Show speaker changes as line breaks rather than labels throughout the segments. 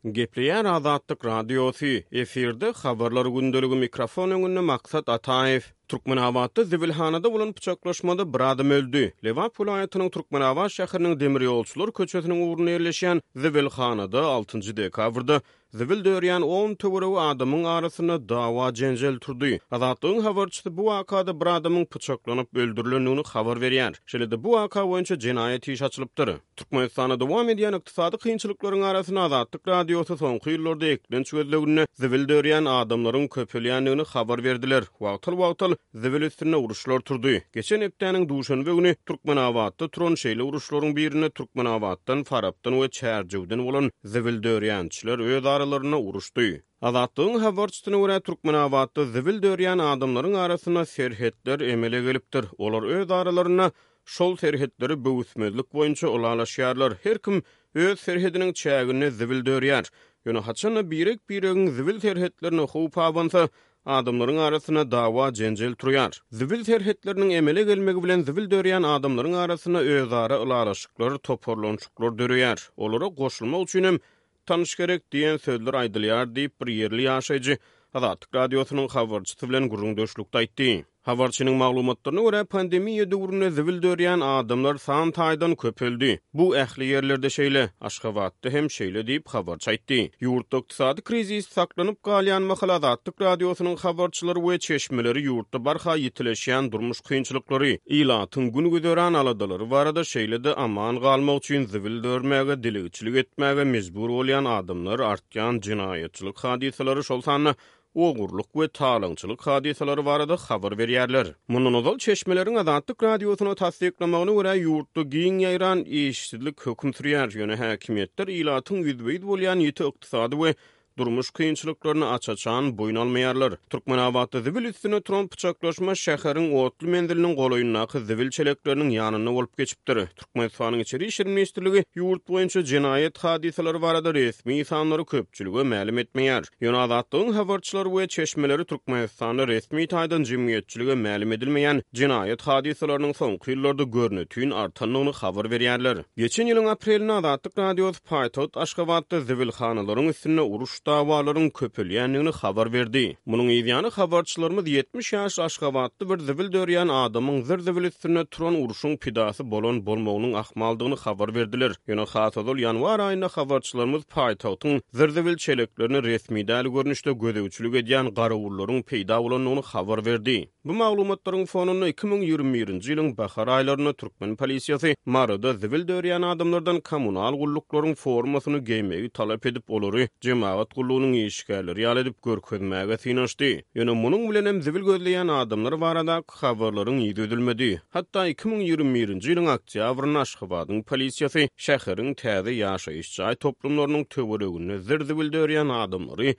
Gepleýär Azatlyk Radiosy, efirde Habarlar gündeligi mikrofon öňünde Maksat Ataýew. Türkmenabatda zibilhanada bolan pyçaklaşmada bir adam öldi. Lebap welaýatynyň Türkmenabat şäheriniň Demirýolçular köçesiniň ugrunda ýerleşýän zibilhanada altynjy dekabrda Zibil dörýän on töweregi adamyň arasynda dawa-jenjel turdy. Azatlygyň habarçysy bu wakada bir adamyň pyçaklanyp öldürilendigini habar berýär. Şeýle-de bu waka boýunça jenaýat işi açylypdyr. Türkmenistanda dowam edýän ykdysady kynçylyklaryň arasynda Azatlyk Radiosy soňky ýyllarda eklenç gözleginde zibil dörýän adamlaryň köpelýändigini habar berdiler. Wagtal-wagtal zibil üstünde uruşlar turdy. Geçen hepdäniň duşenbe güni Türkmenabatda turan şeýle uruşlaryň birinde Türkmenabatdan, Farapdan we Çärjewden bolan zibil dörýänçiler öz aralarynda uruşdy. Azatlygyň habarçysyna görä, Türkmenabatda zibil dörýän adamlaryň arasynda serhetler emele gelipdir. Olar öz aralarynda şol serhetleri böwüsmezlik boýunça ylalaşýarlar. Her kim öz serhediniň çäginde zibil dörýär. Ýöne haçan-da birek-biregiň zibil serhetlerine howp abansa, Adamlaryň arasynda dawa-jenjel turýar. Zibil serhetleriniň emele gelmegi bilen zibil dörýän adamlaryň arasynda özara ylalaşyklar, toparlanyşyklar döreýär. Olara goşulmak üçinem tanyş gerek diýen sözler aýdylýar diýip, bir ýerli ýaşaýjy Azatlyk Radiosynyň habarçysy bilen gürrüňdeşlikde aýtdy. Habarçynyň maglumatlaryna görä, pandemiýa döwründe zibil dörýän adamlar san taýdan köpeldi. Bu ähli ýerlerde şeýle, Aşgabatda hem şeýle diýip, habarçy aýtdy. Ýurtda ykdysady krizis saklanyp galýan mahaly Azatlyk Radiosynyň habarçylary we çeşmeleri ýurtda barha ýitileşýän durmuş kynçylyklary, ilatyň gün-güzeran aladalary barada, şeýle-de aman galmak üçin zibil dörmäge, dilegçilik etmäge mejbur bolýan adamlar, artýan jenaýatçylyk hadysalary, şol sanda ogurlyk we talaňçylyk hadysalary barada habar berýärler. Mundan ozal, çeşmeleriň Azatlyk Radiosyna tassyklamagyna görä, ýurtda giň ýaýran işsizlik höküm sürýär, ýöne häkimiýetler ilatyň ýüzbe-ýüz bolýan ýiti ykdysady we durmuş kynçylyklaryny aç-açan boýun almaýarlar. Türkmenabatda zibil üstünde turan pyçaklaşma şäheriň otly menziliniň golaýyndaky zibil çelekleriniň ýanynda bolup geçipdir. Türkmenistanyň Içeri işler ministrligi ýurt boýunça jenaýat hadysalary barada resmi sanlary köpçülige mälim etmeýär. Ýöne Azatlygyň habarçylary we çeşmeleri Türkmenistanda resmi taýdan jemgyýetçilige mälim edilmeýän jenaýat hadysalarynyň soňky ýyllarda görnetin artandygyny habar berýärler. Geçen ýylyň aprelinde Azatlyk Radiosy paýtagt Aşgabatda zibilhanalaryň üstünde uruş dawalaryň köpelýändigini habar berdi. Munuň yzýany habarçylarymyz 70 ýaşly aşgabatly bir zibil dörýän adamyň zir-zibil üstünde turan urşuň pidasy bolan bolmagynyň ahmaldygyny habar berdiler. Ýöne has ozal ýanwar aýynda habarçylarymyz paýtagtyň zir-zibil çeleklerine resmi däl görnüşde gözegçilik edýän garawullaryň peýda bolandygyny habar berdi. Bu maglumatlaryň fonunda 2021-nji ýylyň bahar aýlarynda türkmen polisiýasy Maryda zibil dörýän adamlardan kommunal gulluklaryň formasyny geýmegi talap edip, olary jemagat gullugynyň işgärleri ýaly edip görkezmäge synanyşdy. Ýöne munuň bilenem zibil gözleýän adamlar baradaky habarlaryň yzy üzülmedi. Hatda 2021-nji ýylyň oktýabrynda Aşgabadyň polisiýasy şäheriň täze ýaşaýyş jaý toplumlarynyň töwereginde zir-zibil dörýän adamlary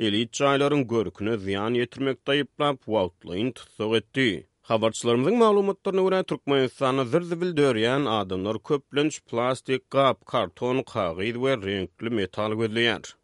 elit jaýlaryň görküne zyýan ýetirmekde aýyplap, wagtlaýyn tussag etdi. Habarçylarymyzyň maglumatlaryna görä, Türkmenistanda zir-zibil dörýän adamlar köplenç plastik gap, karton, kagyz we reňkli metal gözleýär.